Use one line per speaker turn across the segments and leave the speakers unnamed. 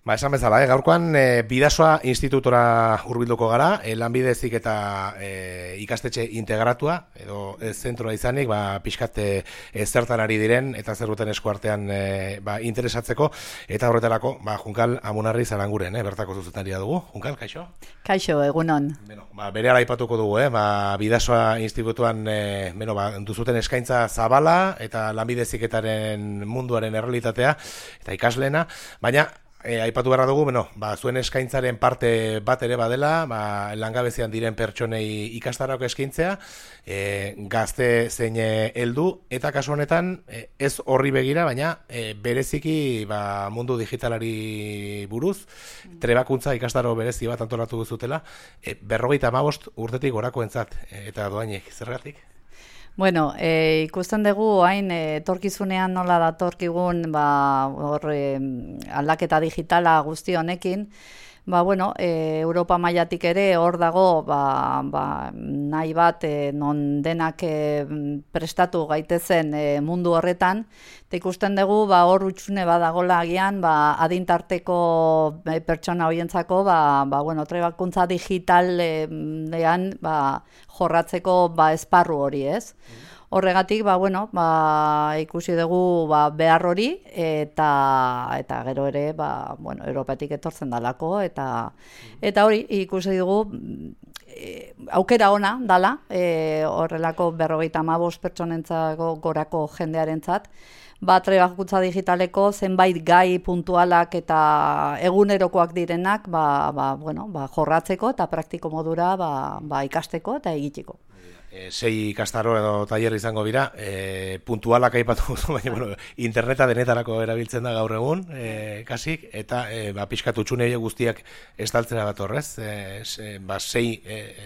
Esan bezala, gaurkoan Bidasoa institutora hurbilduko gara, lanbide heziketa ikastetxe integratua, edo zentroa izanik, pixkat zertan ari diren, eta zer duten eskuartean interesatzeko, eta horretarako, Junkal Amunarri Zaranguren, bertako zuzendaria dugu. Junkal, kaixo?
Kaixo, egunon.
Bere ala aipatuko dugu, Bidasoa institutuan duzuten eskaintza zabala, eta lanbide heziketaren munduaren errealitatea, eta ikasleena, baina, aipatu beharra dugu, zuen eskaintzaren parte bat ere badela, langabezian diren pertsonei ikastarako eskaintzea, gazte zein heldu, eta kasu honetan ez horri begira, baina bereziki mundu digitalari buruz, trebakuntza ikastaro berezi bat antolatu duzutela, 55 urtetik gorakoentzat, eta doainek, zergatik?
Bueno, ikusten dugu hain etorkizunean nola datorkigun aldaketa digitala guzti honekin, Europa mailatik ere hor dago nahi bat non denak prestatu gaitezen mundu horretan, eta ikusten dugu hor utxune badagola agian adintarteko pertsona horientzako trebakuntza digitalean jorratzeko esparru hori, ez? Horregatik, ikusi dugu behar hori, eta gero ere, Europatik etortzen dalako, eta hori ikusi dugu aukera ona dala, horrelako 55 pertsonentzako gorako jendearentzat, trebakuntza digitaleko zenbait gai puntualak eta egunerokoak direnak jorratzeko eta praktiko modura ikasteko eta egiteko.
6 ikastaro edo tailer izango dira, puntualak aipatu duzu, baina interneta denetarako erabiltzen da gaur egun, kasik, eta pixkat utxune guztiak estaltzera bat horrez, 6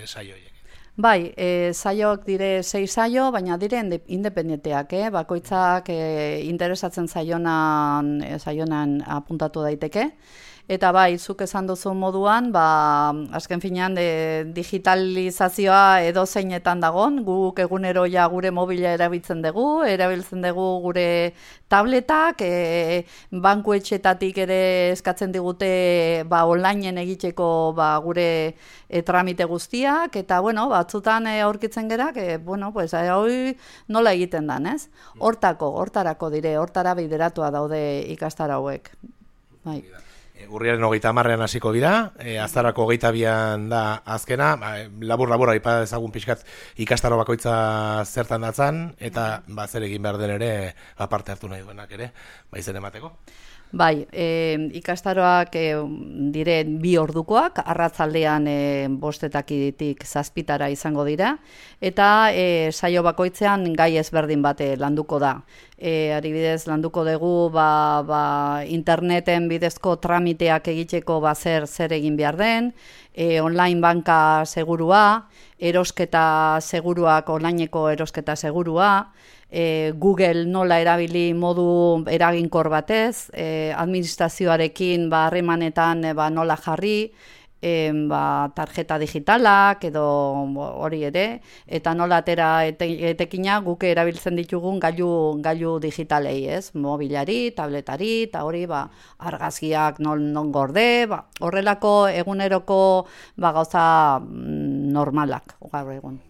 saioiek.
Bai, saioak dire 6 saio, baina dire independenteak, bakoitzak interesatzen saionan apuntatu daiteke. Eta zuk esan duzu moduan, azken finean digitalizazioa edo zeinetan dagon, guk egunero gure mobila erabiltzen dugu gure tabletak, bankuetxetatik ere eskatzen digute onlineen egiteko gure tramite guztiak, eta batzutan aurkitzen gerak, hori nola egiten dan, ez? Hortarako dire, hortara bideratua daude ikastaro hauek. Bai.
Urriaren 30 hasiko dira, azarako 22an da azkena, labur aipa ezagun pixkat ikastaro bakoitza zertan datzan, eta zer egin behar den ere parte hartu nahi duenak ere, izen emateko.
Bai, ikastaroak diren 2 ordukoak, arratzaldean 5:00-tik 7:00 izango dira, eta saio bakoitzean gai ezberdin bat landuko da. Adibidez, landuko dugu interneten bidezko tramiteak egiteko zer egin behar den, online banka segurua, erosketa seguruak, onlineko erosketa segurua, Google nola erabili modu eraginkor batez, administrazioarekin harremanetan nola jarri, tarjeta digitalak edo hori ere, eta nola atera etekina guk erabiltzen ditugun gailu digitalei, ez? Mobilari, tabletari, eta hori argazkiak non gorde, horrelako eguneroko gauza normalak gaur egun.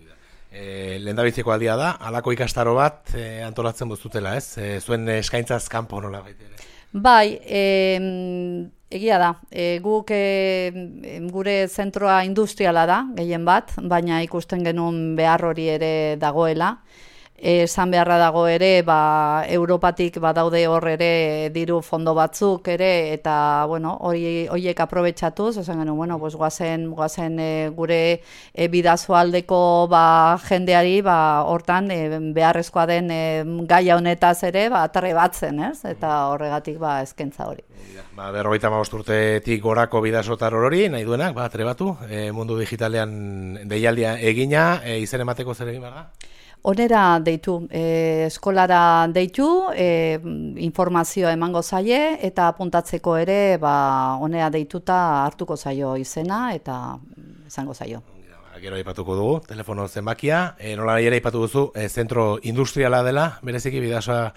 Lehendabiziko aldia da, halako ikastaro bat antolatzen bozutela, ez? Zuen eskaintzaz kanpo nola baita ere.
Bai, egia da, guk gure zentroa industriala da, gehien bat, baina ikusten genuen behar hori ere dagoela. Esan beharra dago ere, Europatik badaude hor ere diru fondo batzuk ere, eta horiek aprobetxatuz, esan genuen, guazen gure bidazoaldeko jendeari, hortan beharrezkoa den gaia honetaz ere, trebatzen, ez? Eta horregatik eskaintza hori.
55 urtetik gorako bidasotar hori, nahi duenak, trebatu, mundu digitalean deialdia egina, izen emateko zer egin behar da?
Onera deitu, eskolara deitu, informazioa emango zaie, eta apuntatzeko ere, onera deituta hartuko zaio izena, eta izango zaio.
Gero aipatuko dugu, telefono zenbakia, nola nahi ere aipatu duzu, zentro industriala dela, bereziki Bidasoa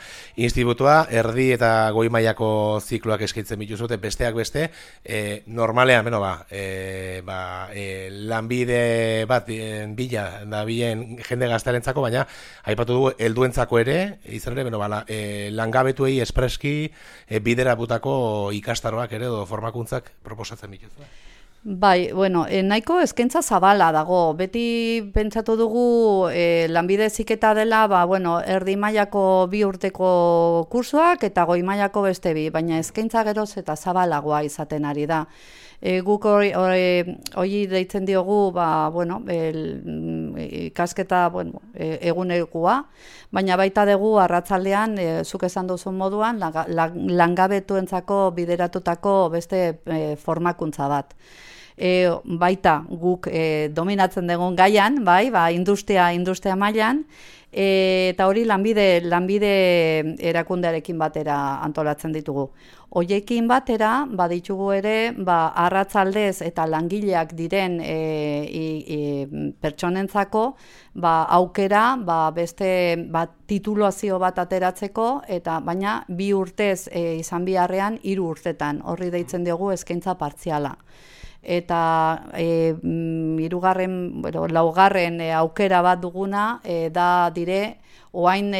institutua, erdi eta goi mailako zikloak eskaintzen bituzute, besteak beste, normalean, lanbide bat bila, da bilen jende gaztarentzako, baina aipatu dugu, helduentzako ere, izan ere, langabetuei espreski biderabutako ikastaroak ere, edo formakuntzak proposatzen bituzu.
Bai, nahiko eskaintza zabala dago. Beti pentsatu dugu lanbide heziketa dela, erdi mailako 2 urteko kursoak eta goi mailako beste 2, baina eskaintza geroz eta zabalagoa izaten ari da. Guk hori deitzen diogu, ikasketa egunekoa, baina baita dugu arratsaldean, zuk esan duzun moduan, langabetuentzako bideratutako beste formakuntza bat. Baita guk dominatzen dugun gaian, industria mailan, eta hori lanbide erakundearekin batera antolatzen ditugu. Hoiekin batera, baditugu ere, arratsaldez eta langileak diren pertsonentzako aukera beste titulazio bat ateratzeko, eta baina 2 urtez izan biharrean 3 urtetan, horri deitzen diogu eskaintza partziala. Eta laugarren aukera bat duguna da dire oain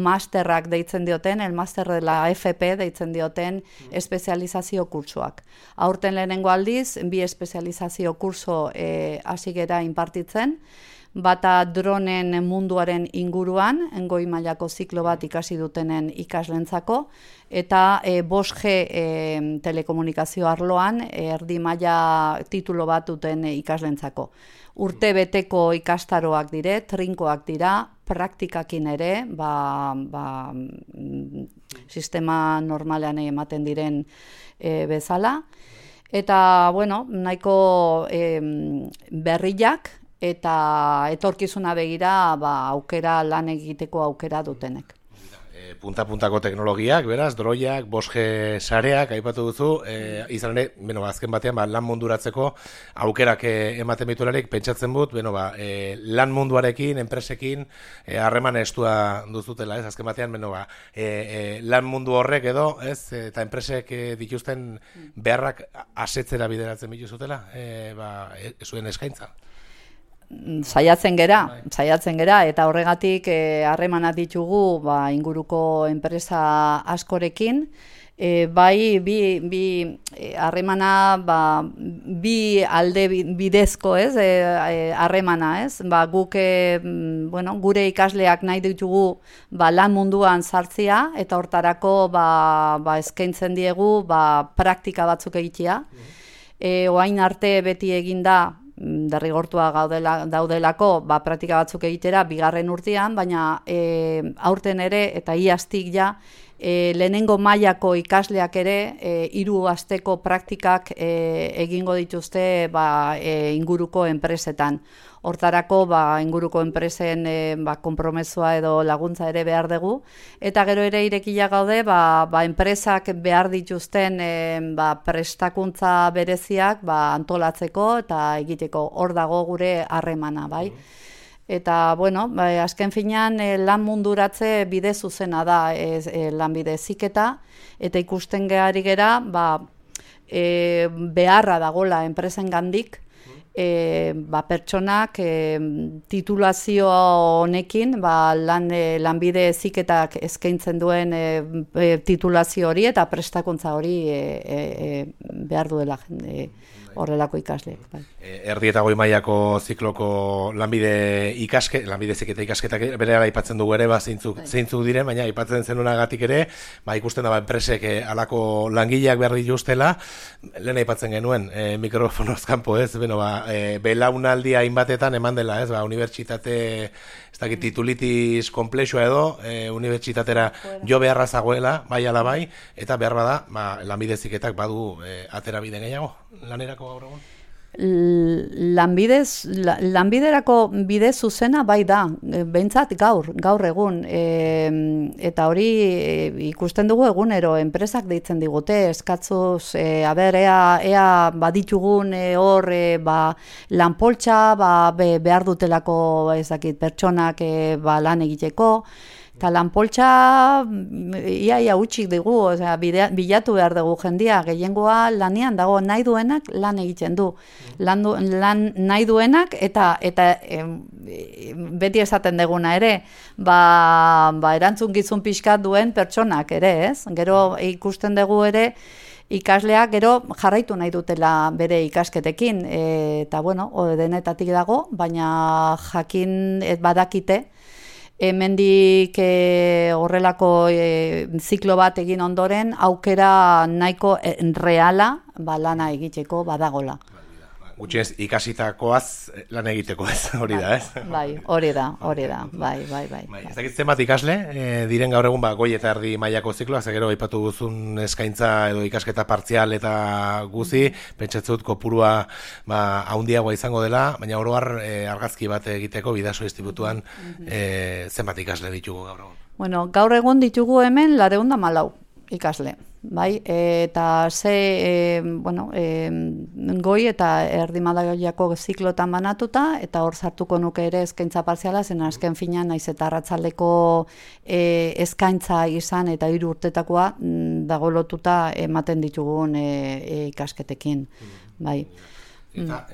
masterrak deitzen dioten, el master de la FP deitzen dioten espezializazio kursoak. Aurten lehenengo aldiz, 2 espezializazio kurso hasi gera inpartitzen, bata dronen munduaren inguruan, goi mailako ziklo bat ikasi dutenen ikaslentzako, eta 5G telekomunikazio arloan erdi maila titulo bat duten ikaslentzako. Urte beteko ikastaroak dire, trinkoak dira, praktikakin ere, sistema normalean ematen diren bezala. Eta, nahiko berriak, eta etorkizuna begira aukera lan egiteko aukera dutenek.
Punta-puntako teknologiak, beraz, droiak, 5G sareak, aipatu duzu, izan ere, azken batean, lan munduratzeko aukerak ematen bitularik, pentsatzen dut, lan munduarekin, enpresekin, harreman estua duzutela, ez, azken batean, lan mundu horrek edo, ez, eta enpresek dituzten beharrak asetzera bideratzen bituzutela, zuen eskaintza.
Saiatzen gera, eta horregatik harremanak ditugu inguruko enpresa askorekin, bi harremana bi alde bidezko, ez, harremana, ez, guk gure ikasleak nahi ditugu lan munduan sartzea, eta hortarako eskaintzen diegu praktika batzuk egitea. Orain arte beti eginda derrigortua daudelako praktika batzuk egitera 2. urtean, baina aurten ere eta iaztik lehenengo mailako ikasleak ere 3 asteko praktikak egingo dituzte inguruko enpresetan. Hortarako inguruko enpresen konpromezua edo laguntza ere behar dugu, eta gero ere irekia gaude enpresak behar dituzten prestakuntza bereziak antolatzeko eta egiteko, hor dago gure harremana, bai. Eta, azken finean lan munduratze bide zuzena da lanbide heziketa, eta ikusten gehari gera beharra dagola enpresengandik, pertsonak titulazio honekin lanbide heziketak eskaintzen duen titulazio hori eta prestakuntza hori behar duela horrelako ikasleek.
Erdi eta goi mailako zikloko lanbide heziketa ikasketak berehala aipatzen dugu ere, zeintzuk diren, baina aipatzen zenunagatik ere, ikusten da enpresek halako langileak behar dituztela, lehen aipatzen genuen mikrofonoz kanpo, ez, belaunaldia hainbatetan eman dela, ez, unibertsitate, ez dakit, titulitis komplexua edo, unibertsitatera jo beharra zagoela, bai ala bai, eta behar bada, lanbide heziketak badu atera bide gehiago, lanerako gaur egun?
Lanbiderako bide zuzena bai da, behintzat gaur egun, eta hori ikusten dugu egunero, enpresak deitzen digute, eskatzuz, ea baditugun hor lanpoltsa, behar dutelako pertsonak lan egiteko, eta lanpoltsa ia utxik dugu, bilatu behar dugu jendia, gehiengoa lanean dago, nahi duenak lan egiten du. Lan nahi duenak eta beti esaten deguna ere, erantzun gizun pixkat duen pertsonak ere, ez? Gero ikusten dugu ere, ikasleak gero jarraitu nahi dutela bere ikasketekin, eta denetatik dago, baina jakin badakite, hemendik horrelako ziklo bat egin ondoren, aukera nahiko reala lana egiteko badagola.
Gutxienez ikasitakoaz lan egiteko ez, hori da, ez?
Bai, hori da, bai.
Ez dakit zenbat ikasle, diren gaur egun goi eta erdi mailako zikloak, gero aipatu guzun eskaintza edo ikasketa partzial eta guzi, pentsatzut kopurua haundiagoa izango dela, baina oro har argazki bat egiteko Bidasoa institutuan zenbat ikasle ditugu gaur egun?
Bueno, gaur egun ditugu hemen 414 ikasle. Bai, eta goi eta erdi mailako ziklotan banatuta, eta hor sartuko nuke ere eskaintza partziala, zen azken finean naiz eta arratsaldeko eskaintza izan eta 3 urtetakoa dago lotuta ematen ditugun ikasketekin. Bai.
Eta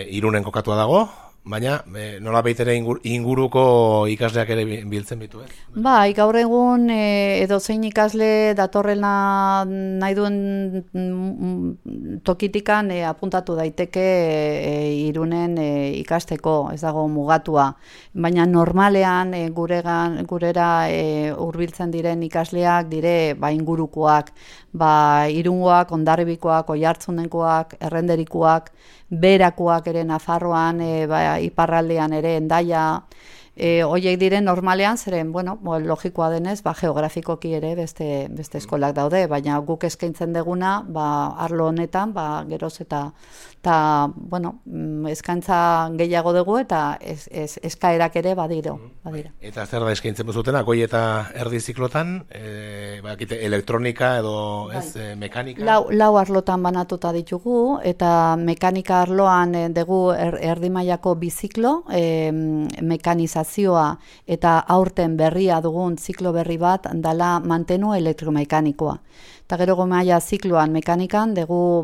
Irunen kokatua dago? Baina nola baitere inguruko ikasleak ere biltzen bitu, ez?
Bai, gaur egun edozein ikasle datorrena nahi duen tokitikan apuntatu daiteke Irunen ikasteko, ez dago mugatua. Baina normalean gurera hurbiltzen diren ikasleak dire ingurukoak, Irungoak, Hondarribikoak, Oiartzunengoak, Errenderikoak, Berakoak ere Nafarroan, iparraldean ere Hendaia, hoiek diren normalean, zeren, logikoa denez, geografikoki ere beste eskolak daude, baina guk eskaintzen deguna, arlo honetan, geroz eta eskaintza gehiago dugu eta eskaerak ere badira.
Eta zer da eskaintzen zutena, goi eta erdi ziklotan, elektronika edo mekanika?
Lau arlotan banatuta ditugu, eta mekanika arloan dugu erdi mailako biziklo, mekanizazioa eta aurten berria dugun ziklo berri bat dala mantenu elektromekanikoa. Eta gero maila zikloan mekanikan dugu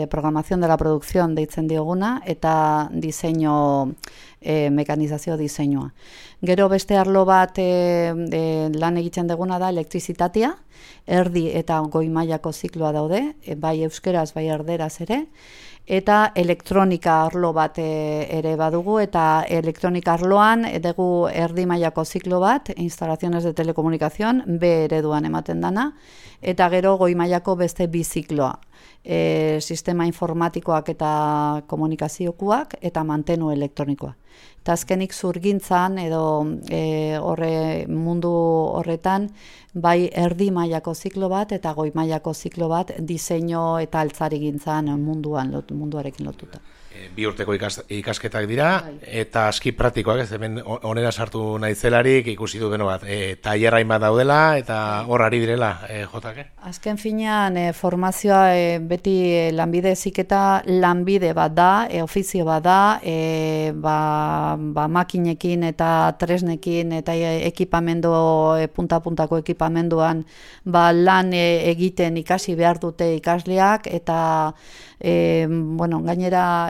programación de la producción deitzen dioguna eta diseño, mekanizazio diseinua. Gero beste arlo bat lan egiten duguna da elektrizitatea, erdi eta goi mailako zikloa daude, bai euskeraz, bai erderaz ere, eta elektronika arlo bat ere badugu, eta elektronika arloan dugu erdi mailako ziklo bat, instalaciones de telecomunicación, B ereduan ematen dana, eta gero goi mailako beste bi zikloa. Sistema informatikoak eta komunikaziokoak eta mantenu elektronikoa. Eta azkenik zurgintzan edo mundu horretan bai erdi mailako ziklo bat eta goi mailako ziklo bat diseinu eta altzarigintzan munduarekin lotuta.
2 urteko ikasketak dira, eta aski praktikoak, ez hemen onera sartu naizelarik ikusi du tailerra hainbat daudela, eta hor ari direla, jotake?
Azken finean, formazioa beti lanbide heziketa lanbide bat da, ofizio bat da, makinekin eta tresnekin eta ekipamendu, punta-puntako ekipamenduan lan egiten ikasi behar dute ikasleak, eta gainera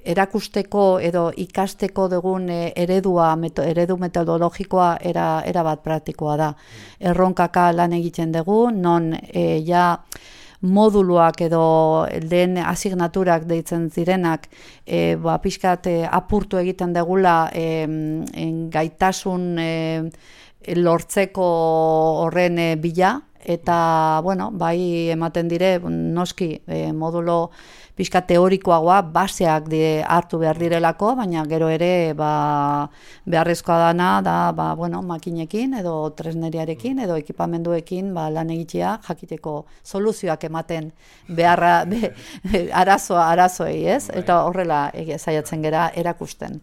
erakusteko edo ikasteko dugun eredu metodologikoa era bat praktikoa da. Erronkaka lan egiten dugu, non moduluak edo lehen asignaturak deitzen zirenak pixkat apurtu egiten dugula gaitasun lortzeko horren bila, eta, bueno, bai ematen dire, noski, modulo pixka teorikoagoa, baseak hartu behar direlako, baina gero ere beharrezkoa dana da makinekin edo tresneriarekin edo ekipamenduekin lan egitea jakiteko soluzioak ematen beharra arazoei, ez? Eta horrela saiatzen gera erakusten.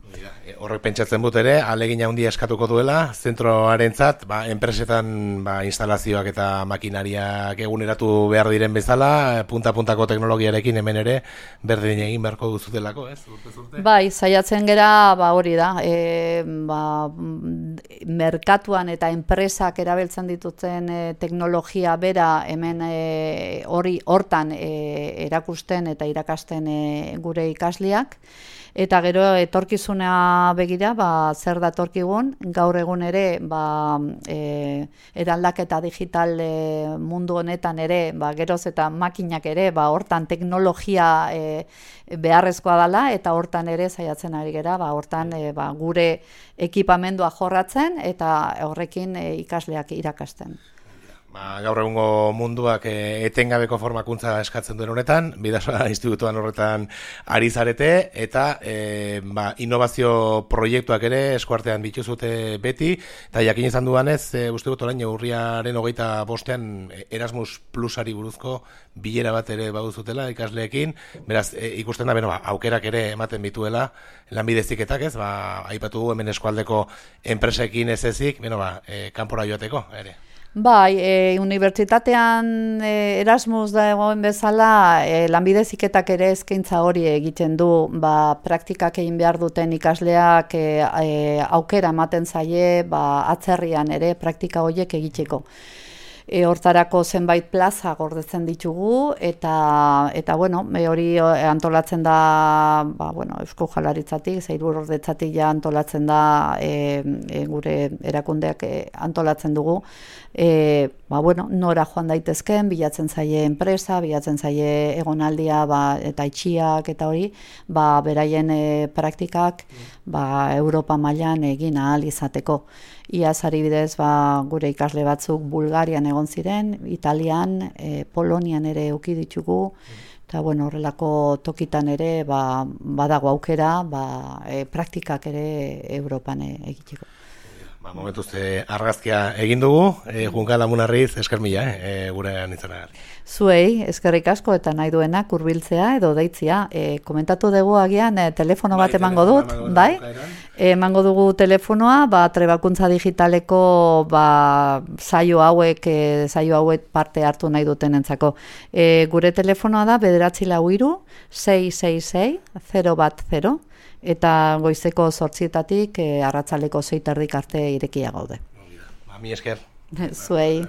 Horrek pentsatzen dut ere, ahalegin handia eskatuko duela, zentroarentzat, enpresetan instalazioak eta makinariak eguneratu behar diren bezala, punta-puntako teknologiarekin hemen ere, berdin egin beharko duzutelako, ez? Urte.
Bai, saiatzen gera, hori da, merkatuan eta enpresak erabiltzen dituzten teknologia bera hemen hortan erakusten eta irakasten gure ikasleak. Eta gero etorkizuna begira, zer datorkigun, gaur egun ere eraldaketa digital mundu honetan ere, geroz eta makinak ere, hortan teknologia beharrezkoa dela, eta hortan ere saiatzen ari gera, hortan gure ekipamendua jorratzen eta horrekin ikasleak irakasten.
Gaur egungo munduak etengabeko formakuntza eskatzen duen honetan, Bidasoa institutuan horretan ari zarete, eta innovazio proiektuak ere eskuartean dituzute beti, eta jakin izan dudanez, uste dut orain urriaren 25ean Erasmus Plusari buruzko bilera bat ere baduzutela ikasleekin, beraz ikusten da, aukerak ere ematen bituela, lanbide heziketak, ez, aipatu du hemen eskualdeko enpresekin ez ezik, kanpora joateko, ere.
Bai, unibertsitatean Erasmus da egoen bezala, lanbide heziketak ere eskaintza hori egiten du, praktikak egin behar duten ikasleak aukera ematen zaie, atzerrian ere praktika horiek egiteko. Hortarako zenbait plaza gordetzen ditugu, eta hori antolatzen da, Eusko Jaurlaritzatik, Sailbuordetzatik antolatzen da, gure erakundeak antolatzen dugu, nora joan daitezken, bilatzen zaie enpresa, bilatzen zaie egonaldia, eta itxiak, eta hori, beraien praktikak, Europa mailan egin ahal izateko. Iaz adibidez, gure ikasle batzuk Bulgarian egon ziren, Italian, Polonian ere eduki ditugu, eta horrelako tokitan ere badago aukera, praktikak ere Europan egiteko.
Momentuz argazkia egin dugu, Junka Lamunarriz, esker mila, gurean izanagatik.
Zuei, eskerrik asko eta nahi duenak hurbiltzea edo deitzea. Komentatu dugu agian telefono bat emango dut, bai? Emango dugu telefonoa, Trebakuntza Digitaleko saio hauek parte hartu nahi dutenentzako. Gure telefonoa da 943 666 010 eta goizeko 8:00 arratsaldeko 6:30 arte irekia gaude.
Mi esker.
Zuei.